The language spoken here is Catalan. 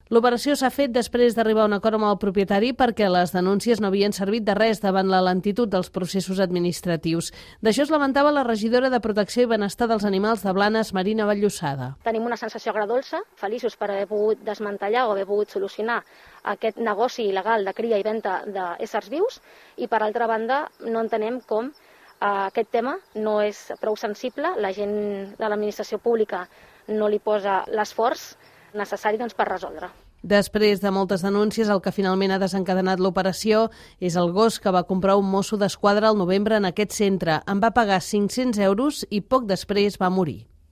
L'operació s'ha fet després d'arribar a un acord amb el propietari perquè les denúncies no havien servit de res davant la lentitud dels processos administratius. D'això es lamentava la regidora de Protecció i Benestar dels Animals de Blanes, Marina Vallossada. Tenim una sensació agredolça, feliços per haver pogut desmantellar o haver pogut solucionar aquest negoci il·legal de cria i venda d'éssers vius i, per altra banda, no entenem com aquest tema no és prou sensible, la gent de l'administració pública no li posa l'esforç necessari per resoldre. Després de moltes denúncies, el que finalment ha desencadenat l'operació és el gos que va comprar un mosso d'esquadra al novembre en aquest centre. En va pagar 500 euros i poc després va morir.